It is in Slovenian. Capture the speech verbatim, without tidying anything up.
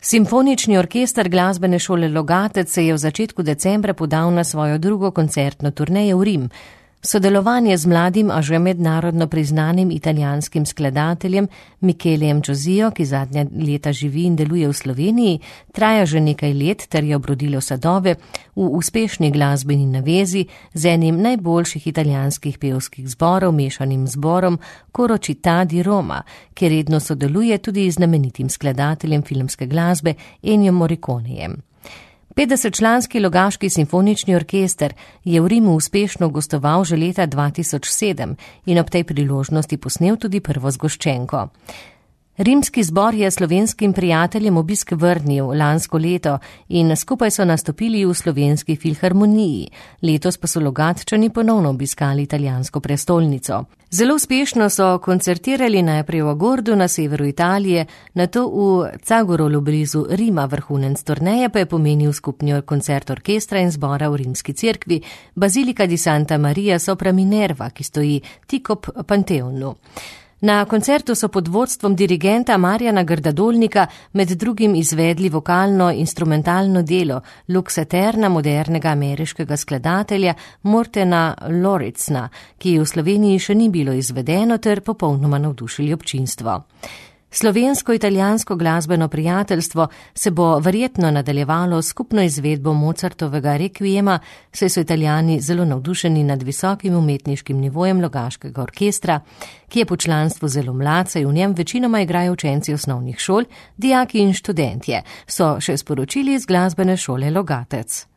Simfonični orkester glasbene šole Logatec se je v začetku decembra podal na svojo drugo koncertno turnejo v Rim. Sodelovanje z mladim, a že mednarodno priznanim italijanskim skladateljem Michelejem Giosijo, ki zadnja leta živi in deluje v Sloveniji, traja že nekaj let ter je obrodilo sadove v uspešni glasbeni navezi z enim najboljših italijanskih pevskih zborov, mešanim zborom Coro Città di Roma, ki redno sodeluje tudi z znamenitim skladateljem filmske glasbe Ennio Morriconejem. petdesetčlanski Logaški simfonični orkester je v Rimu uspešno gostoval že leta dva tisoč sedem in ob tej priložnosti posnel tudi prvo zgoščenko. Rimski zbor je slovenskim prijateljem obisk vrnil lansko leto in skupaj so nastopili v Slovenski filharmoniji. Letos pa so Logatčani ponovno obiskali italijansko prestolnico. Zelo uspešno so koncertirali najprej v Agordu na severu Italije, nato v Zagorolu blizu Rima. Vrhunec turneje pa je pomenil skupni koncert orkestra in zbora v rimski cerkvi Bazilika di Santa Maria sopra Minerva, ki stoji tik ob Panteonu. Na koncertu so pod vodstvom dirigenta Marjana Grdadolnika med drugim izvedli vokalno-instrumentalno delo Lux Aeterna modernega ameriškega skladatelja Mortena Lorenzna, ki v Sloveniji še ni bilo izvedeno ter popolnoma navdušili občinstvo. Slovensko-italijansko glasbeno prijateljstvo se bo verjetno nadaljevalo skupno izvedbo Mozartovega rekviema, saj so Italijani zelo navdušeni nad visokim umetniškim nivojem Logaškega orkestra, ki je po članstvu zelo mlad, saj v njem večinoma igrajo učenci osnovnih šol, dijaki in študentje, so še sporočili iz glasbene šole Logatec.